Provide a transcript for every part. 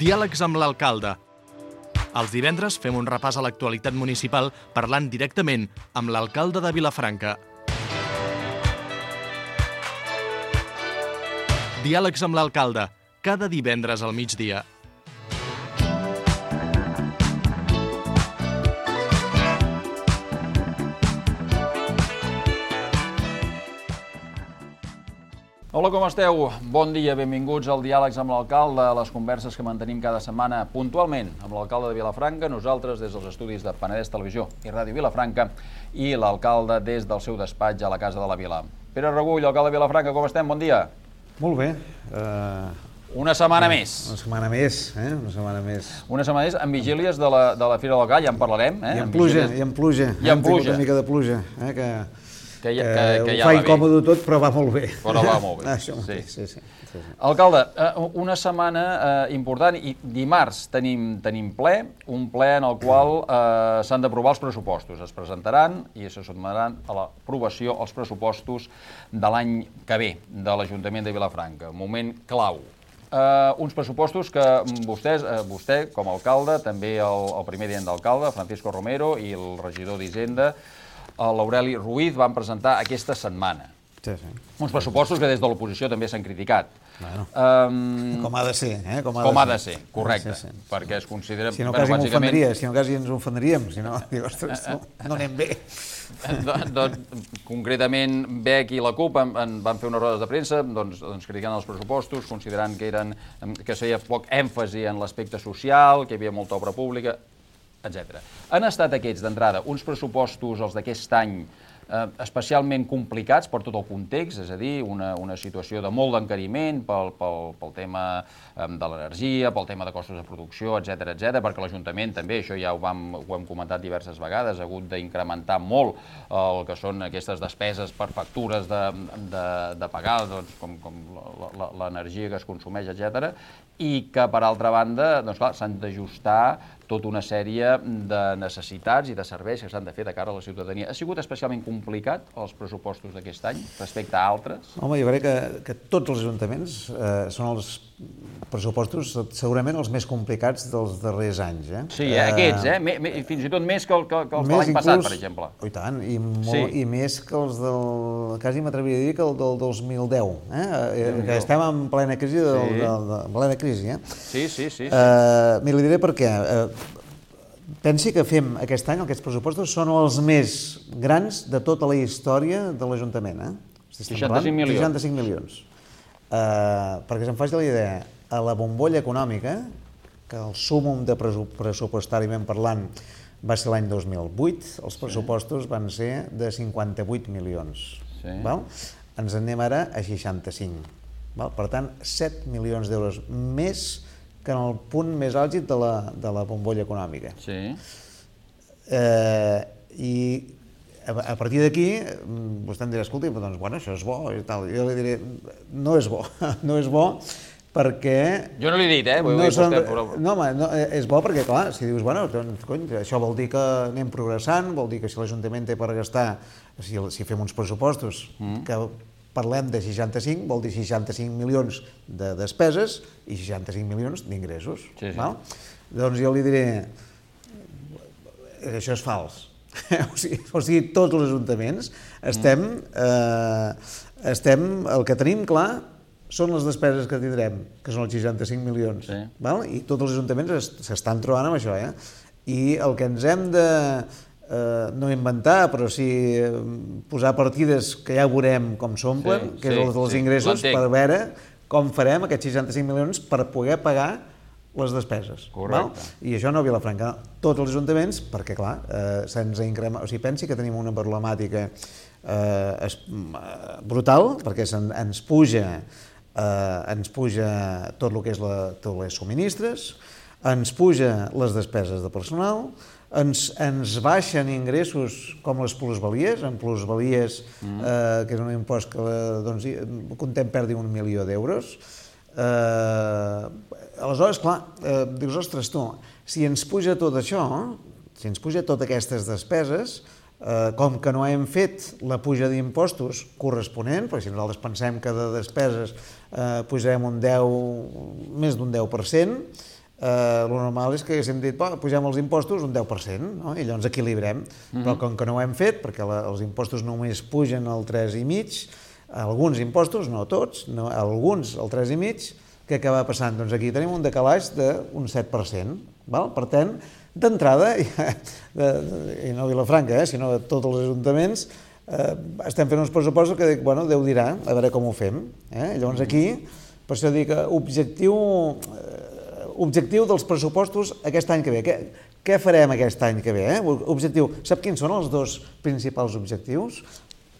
Diàlegs amb l'alcalde. Els divendres fem un repàs a l'actualitat municipal parlant directament amb l'alcalde de Vilafranca. Diàlegs amb l'alcalde, cada divendres al migdia. Hola, com esteu? Bon dia, benvinguts al Diàlegs amb l'alcalde, a les converses que mantenim cada setmana puntualment amb l'alcalde de Vilafranca, nosaltres des dels estudis de Penedès Televisió i Ràdio Vilafranca i l'alcalde des del seu despatx a la Casa de la Vila. Pere Regull, alcalde de Vilafranca, com estem? Bon dia. Molt bé. Una setmana més. Una setmana més, Una setmana més. Una setmana més amb vigílies de la Fira del Gal, ja en parlarem. I amb pluja. Hem tingut una mica de pluja, que ja ho fa incòmode tot, però va molt bé. Però va molt bé. Això sí. Alcalde, una setmana important i dimarts tenim ple, un ple en el qual s'han d'aprovar els pressupostos. Es presentaran i se sotmetran a l'aprovació els pressupostos de l'any que ve de l'Ajuntament de Vilafranca. Moment clau. Uns pressupostos que vostè com a alcalde, també el primer tinent d'alcalde, Francisco Romero, i el regidor d'Hisenda, l'Aureli Ruiz, van presentar aquesta setmana. Sí. Uns pressupostos que des de l'oposició també s'han criticat. Bueno, com ha de ser, Com ha de ser, correcte, perquè es considera... Si no, quasi ens ofendríem, si no, ostres, no anem bé. Concretament, BEC i la CUP van fer unes rodes de premsa criticant els pressupostos, considerant que feia poc èmfasi en l'aspecte social, que hi havia molta obra pública, etc. Han estat aquests, d'entrada, uns pressupostos, els d'aquest any, especialment complicats per tot el context, és a dir, una situació de molt d'encariment pel tema de l'energia, pel tema de costos de producció, etc., perquè l'Ajuntament també, això ja ho hem comentat diverses vegades, ha hagut d'incrementar molt el que són aquestes despeses per factures de pagar, com l'energia que es consumeix, etc., i que, per altra banda, s'han d'ajustar tota una sèrie de necessitats i de serveis que s'han de fer de cara a la ciutadania. Ha sigut especialment complicat els pressupostos d'aquest any respecte a altres? Home, jo crec que tots els ajuntaments són els pressupostos segurament els més complicats dels darrers anys. Sí, aquests, fins i tot més que els de l'any passat, per exemple. I tant, i més que els del... quasi m'atreviria a dir que el del 2010, que estem en plena crisi, Sí. Li diré per què. Pensi que fem aquest any, aquests pressupostos són els més grans de tota la història de l'Ajuntament. 65 milions. 65 milions. Perquè se'n faci la idea, a la bombolla econòmica, que el súmum de pressupostàriament parlant va ser l'any 2008, els pressupostos van ser de 58 milions. Ens anem ara a 65. Per tant, 7 milions d'euros més que en el punt més àlgid de la bombolla econòmica. I a partir d'aquí, vostè em dirà, escolti, això és bo i tal. Jo li diré, no és bo, perquè... Jo no l'he dit, No, és bo perquè, clar, si dius, això vol dir que anem progressant, vol dir que si l'Ajuntament té per gastar, si fem uns pressupostos que parlem de 65, vol dir 65 milions de despeses i 65 milions d'ingressos. Doncs jo li diré, això és fals. O sigui, tots els ajuntaments el que tenim clar són les despeses que tindrem, que són els 65 milions. I tots els ajuntaments s'estan trobant amb això. I el que ens hem de... no inventar, però sí posar partides que ja veurem com s'omplen, que és els dels ingressos, per veure com farem aquests 65 milions per poder pagar les despeses. I això no a Vilafranca, tots els ajuntaments, perquè clar, se'ns ha incrementat, o sigui, pensi que tenim una problemàtica brutal, perquè ens puja tot el que és tots els subministres, ens puja les despeses de personal, ens baixen ingressos com les plusvalies, en plusvalies, que és un impost que comptem perdi 1 milió d'euros. Aleshores, clar, dius, ostres, tu, si ens puja tot això, si ens puja totes aquestes despeses, com que no hem fet la puja d'impostos corresponent, perquè si nosaltres pensem que de despeses pujarem més d'un 10%, el normal és que haguéssim dit, pugem els impostos un 10%, no? I llavors equilibrem. Però com que no ho hem fet, perquè els impostos només pugen al 3,5%, alguns impostos, no tots, alguns al 3,5%, què acaba passant? Doncs aquí tenim un decalatge d'un 7%. Per tant, d'entrada, i no a Vilafranca, sinó a tots els ajuntaments, estem fent uns pressupostos que dic, bueno, Déu dirà, a veure com ho fem. Llavors aquí, per això dic, objectiu dels pressupostos aquest any que ve. Què farem aquest any que ve? Objectiu, sap quins són els dos principals objectius?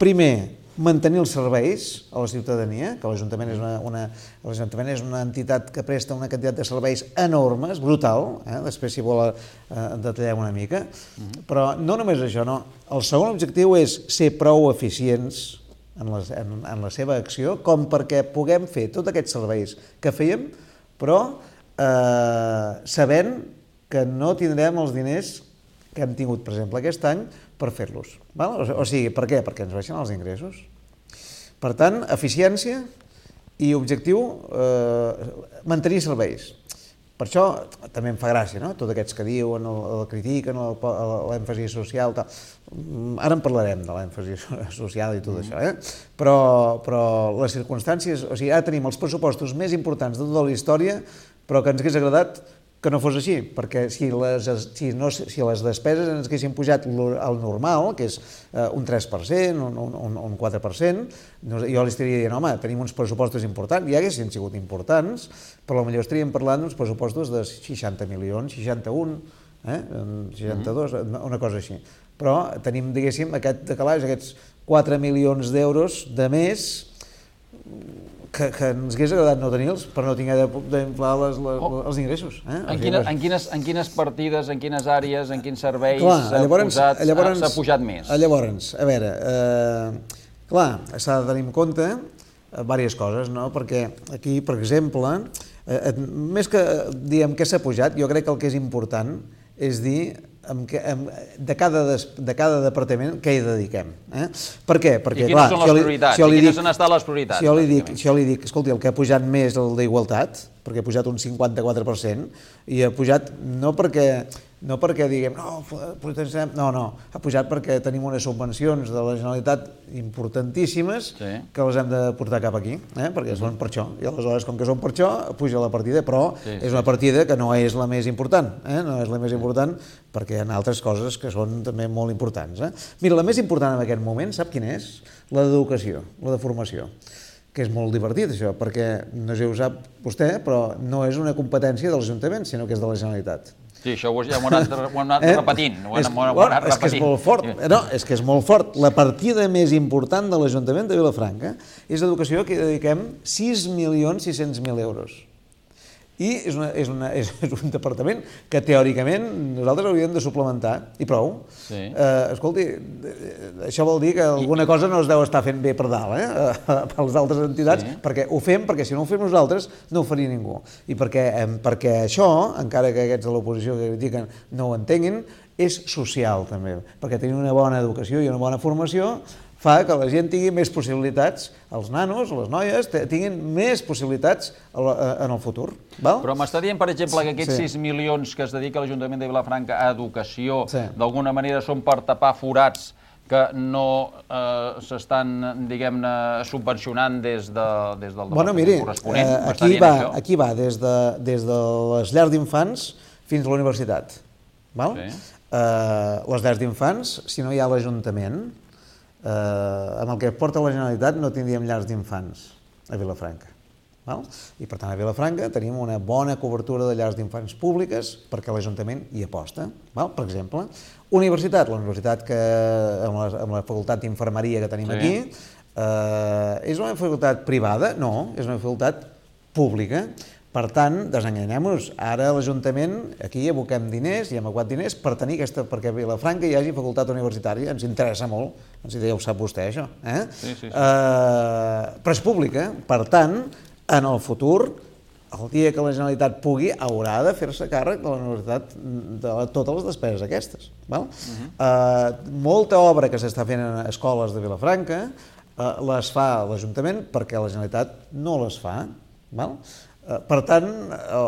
Primer, mantenir els serveis a la ciutadania, que l'Ajuntament és una entitat que presta una quantitat de serveis enormes, brutal, després si vol detallem una mica, però no només això, no. El segon objectiu és ser prou eficients en la seva acció com perquè puguem fer tots aquests serveis que fèiem, però sabent que no tindrem els diners que hem tingut, per exemple, aquest any per fer-los. O sigui, per què? Perquè ens baixen els ingressos. Per tant, eficiència i objectiu, mantenir serveis. Per això també em fa gràcia, no? Tots aquests que diuen, el critiquen, l'èmfasi social, tal. Ara en parlarem de l'èmfasi social i tot això, però les circumstàncies, o sigui, ara tenim els pressupostos més importants de tota la història, però que ens hagués agradat que no fos així, perquè si les despeses ens haguessin pujat al normal, que és un 3%, un 4%, jo li estaria dient, home, tenim uns pressupostos importants, ja haguessin sigut importants, però potser estaríem parlant d'uns pressupostos de 60 milions, 61, 62, una cosa així. Però tenim, diguéssim, aquest decalatge, aquests 4 milions d'euros de més, que ens hagués agradat no tenir-los per no haver d'inflar els ingressos. En quines partides, en quines àrees, en quins serveis s'ha pujat més? Llavors, a veure, clar, s'ha de tenir en compte diverses coses, no? Perquè aquí, per exemple, més que diem què s'ha pujat, jo crec que el que és important és dir de cada departament què hi dediquem. Per què? I quines són les prioritats? I quines han estat les prioritats? Si jo li dic, escolti, el que ha pujat més és el d'igualtat, perquè ha pujat un 54%, i ha pujat no perquè diguem, no, ha pujat perquè tenim unes subvencions de la Generalitat importantíssimes que les hem de portar cap aquí, perquè són per això, i aleshores, com que són per això, puja la partida, però és una partida que no és la més important, no és la més important perquè hi ha altres coses que són també molt importants. Mira, la més important en aquest moment, sap quina és? La d'educació, la de formació, que és molt divertit això, perquè no sé si ho sap vostè, però no és una competència de l'Ajuntament, sinó que és de la Generalitat. Sí, això ja ho hem anat repetint. És que és molt fort. No, és que és molt fort. La partida més important de l'Ajuntament de Vilafranca és l'educació, que hi dediquem 6.600.000 euros. I és un departament que teòricament nosaltres hauríem de suplementar, i prou. Escolti, això vol dir que alguna cosa no es deu estar fent bé per dalt, per les altres entitats, perquè ho fem, perquè si no ho fem nosaltres no ho faria ningú. I perquè això, encara que aquests de l'oposició que critiquen no ho entenguin, és social també, perquè tenir una bona educació i una bona formació fa que la gent tingui més possibilitats, els nanos, les noies, tinguin més possibilitats en el futur. Però m'està dient, per exemple, que aquests 6 milions que es dedica l'Ajuntament de Vilafranca a educació, d'alguna manera són per tapar forats que no s'estan, diguem-ne, subvencionant des del departament corresponent? Aquí va des de les llars d'infants fins a la universitat. Les llars d'infants, si no hi ha l'Ajuntament, amb el que porta la Generalitat no tindríem llars d'infants a Vilafranca. I per tant a Vilafranca tenim una bona cobertura de llars d'infants públiques perquè l'Ajuntament hi aposta. Per exemple, universitat, la universitat que amb la facultat d'infermeria que tenim aquí, és una facultat privada? No, és una facultat pública. Per tant, desenganyem-nos, ara l'Ajuntament, aquí aboquem diners, i hem abocat diners per tenir perquè a Vilafranca hi hagi facultat universitària, ens interessa molt, ja ho sap vostè, això. Però és pública, per tant, en el futur, el dia que la Generalitat pugui, haurà de fer-se càrrec de la universitat de totes les despeses aquestes. Molta obra que s'està fent en escoles de Vilafranca les fa l'Ajuntament perquè la Generalitat no les fa. Per tant,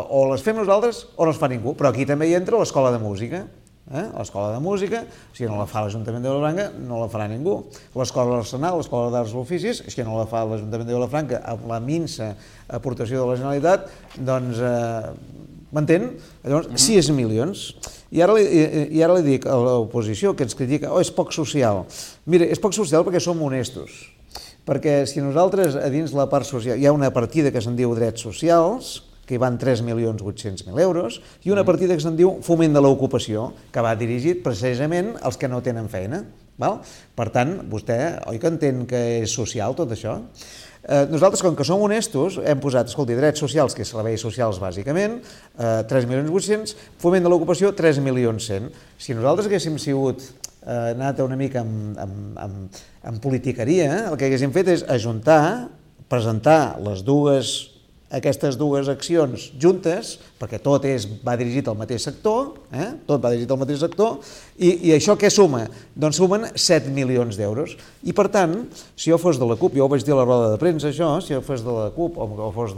o les fem nosaltres o no les fa ningú, però aquí també hi entra l'escola de música. L'escola de música, si no la fa l'Ajuntament de Vilafranca, no la farà ningú. L'escola d'Arsenal, l'escola d'Arts i Oficis, si no la fa l'Ajuntament de Vilafranca amb la minsa aportació de la Generalitat, doncs, m'entén? Llavors, 6 milions. I ara li dic a l'oposició que ens critica, és poc social. Mira, és poc social perquè som honestos. Perquè si nosaltres a dins la part social hi ha una partida que se'n diu drets socials, que hi van 3.800.000 euros, i una partida que se'n diu foment de l'ocupació, que va dirigit precisament als que no tenen feina. Per tant, vostè, oi que entén que és social tot això? Nosaltres, com que som honestos, hem posat, escolti, drets socials, que és serveis socials bàsicament, 3.800.000, foment de l'ocupació, 3.100.000. Si nosaltres haguéssim sigut anat una mica amb politiqueria, el que haguéssim fet és ajuntar, presentar aquestes dues accions juntes, perquè tot va dirigit al mateix sector, i això què suma? Doncs sumen 7 milions d'euros. I per tant, si jo fos de la CUP, jo ho vaig dir a la roda de premsa això, si jo fos de la CUP o fos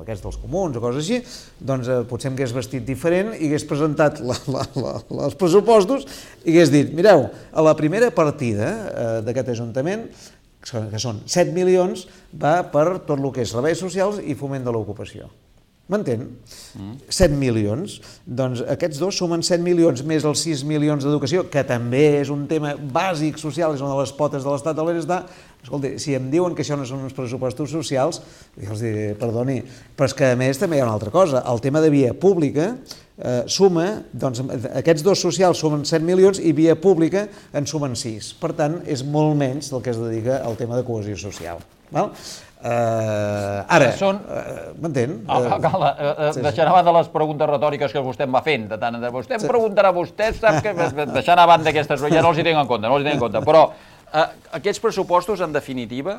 aquests dels comuns o coses així, doncs potser em hagués vestit diferent i hagués presentat els pressupostos i hagués dit, mireu, a la primera partida d'aquest Ajuntament, que són 7 milions, va per tot el que és serveis socials i foment de l'ocupació. M'entén? 7 milions. Doncs aquests dos sumen 7 milions més els 6 milions d'educació, que també és un tema bàsic social, és una de les potes de l'estat del benestar. Escolta, si em diuen que això no són uns pressupostos socials, jo els diré, perdoni, però és que a més també hi ha una altra cosa. El tema de via pública suma, doncs aquests dos socials sumen 7 milions i via pública en sumen 6. Per tant, és molt menys del que es dedica al tema de cohesió social. Ara, m'entén? Deixant a banda les preguntes retòriques que vostè em va fent, de tant en tant, vostè em preguntarà, vostè sap que... Deixant a banda aquestes, ja no els hi tinc en compte, però aquests pressupostos, en definitiva,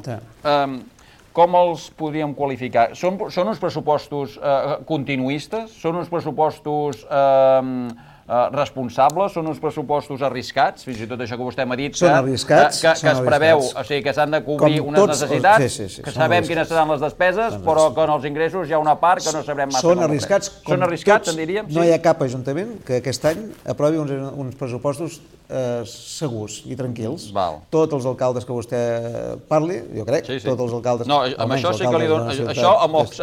com els podríem qualificar? Són uns pressupostos continuistes? Són uns pressupostos responsables? Són uns pressupostos arriscats? Fins i tot això que vostè m'ha dit, que es preveu, o sigui, que s'han de cobrir unes necessitats, que sabem quines seran les despeses, però que en els ingressos hi ha una part que no sabrem massa. Són arriscats, són arriscats, en diríem? No hi ha cap ajuntament que aquest any aprovi uns pressupostos segurs i tranquils. Tots els alcaldes que vostè parli, jo crec, tots els alcaldes... No, amb això sí que li dono...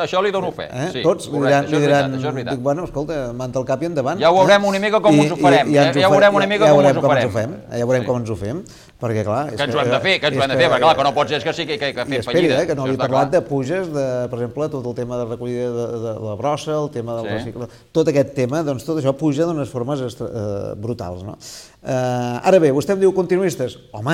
Això li dono fe. Tots li diran, bueno, escolta, manta al cap i endavant. Ja ho veurem una mica com ens ho farem. Ja veurem una mica com ens ho farem. Ja veurem com ens ho fem, perquè clar... Que ens ho hem de fer, perquè clar, que no pot ser que sí que fem fallida. Que no li he parlat de puges, per exemple, tot el tema de recollida de la brossa, el tema del recicle... Tot aquest tema, doncs tot això puja d'unes formes brutals, no? Ara bé, vostè em diu continuistes? Home,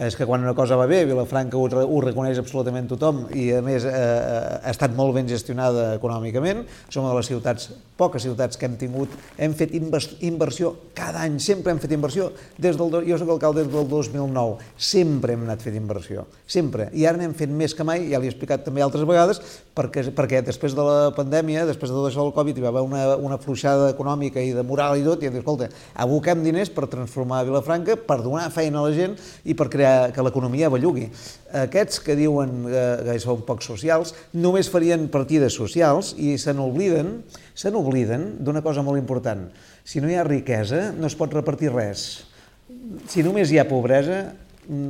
és que quan una cosa va bé, Vilafranca ho reconeix absolutament tothom i a més ha estat molt ben gestionada econòmicament. Som una de les ciutats, poques ciutats que hem tingut, hem fet inversió cada any, sempre hem fet inversió. Jo soc alcalde des del 2009, sempre hem anat fent inversió, sempre. I ara n'hem fet més que mai, ja l'he explicat també altres vegades, perquè després de la pandèmia, després de tot això del Covid, hi va haver una afluixada econòmica i de moral i tot, i hem dit, escolta, aboquem diners per transformar Vilafranca, per donar feina a la gent i per crear que l'economia bellugui. Aquests que diuen que són poc socials només farien partides socials i se n'obliden d'una cosa molt important. Si no hi ha riquesa, no es pot repartir res. Si només hi ha pobresa,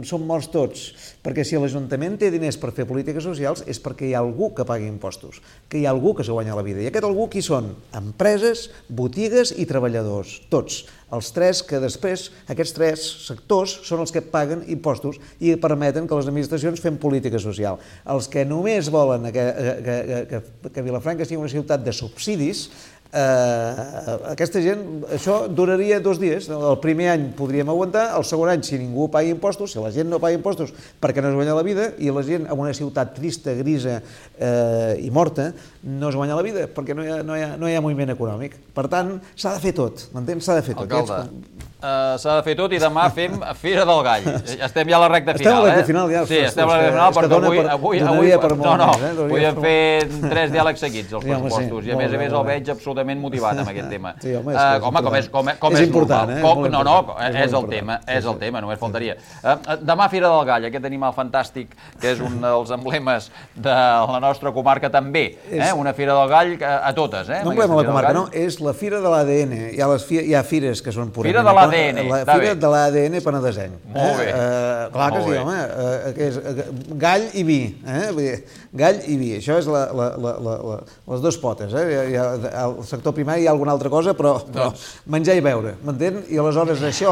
som morts tots, perquè si l'Ajuntament té diners per fer polítiques socials és perquè hi ha algú que pagui impostos, que hi ha algú que s'ho guanya la vida. I aquest algú qui són? Empreses, botigues i treballadors, tots. Els tres que després, aquests tres sectors són els que paguen impostos i permeten que les administracions fem política social. Els que només volen que Vilafranca sigui una ciutat de subsidis, aquesta gent, això duraria 2 dies. El primer any podríem aguantar, el segon any, si ningú pagui impostos, si la gent no paga impostos perquè no es guanya la vida, i la gent en una ciutat trista, grisa i morta, no es guanya la vida perquè no hi ha moviment econòmic. Per tant, s'ha de fer tot, m'entens? S'ha de fer tot. Alcalde, S'ha de fer tot i demà fem Fira del Gall. Estem ja a la recta final. Estem a la recta final, ja. Sí, estem a la recta final, perquè avui podíem fer 3 diàlegs seguits, els pressupostos, i a més el veig absolutament motivat amb aquest tema. Home, com és important, normal. No, és el tema, només faltaria. Demà Fira del Gall, aquest animal fantàstic, que és un dels emblemes de la nostra comarca també. Una Fira del Gall a totes. No emblema de la comarca, no, és la Fira de l'ADN. Hi ha fires que són purament... Fira de l'ADN. La Fira de l'ADN penedesenc. Molt bé. Clar que sí, home. Gall i vi. Gall i vi. Això és les dues potes. Al sector primari hi ha alguna altra cosa, però menjar i beure, m'entén? I aleshores això,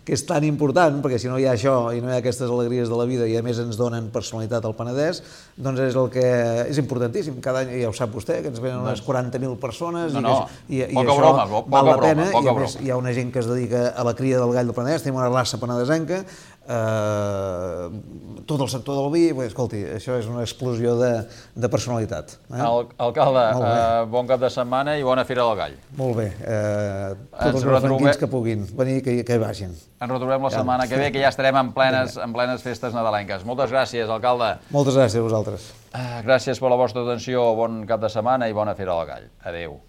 que és tan important, perquè si no hi ha això i no hi ha aquestes alegries de la vida i a més ens donen personalitat al Penedès, doncs és el que és importantíssim. Cada any, ja ho sap vostè, que ens venen unes 40.000 persones i això val la pena. I a més hi ha una gent que es dedica a la cria del gall del Penedès, tenim una raça penedesenca, tot el sector del vi, escolti, això és una explosió de personalitat. Alcalde, bon cap de setmana i bona Fira del Gall. Molt bé, tots els refranquins que puguin venir, que hi vagin. Ens retrobem la setmana que ve, que ja estarem en plenes festes nadalenques. Moltes gràcies, alcalde. Moltes gràcies a vosaltres. Gràcies per la vostra atenció, bon cap de setmana i bona Fira del Gall. Adéu.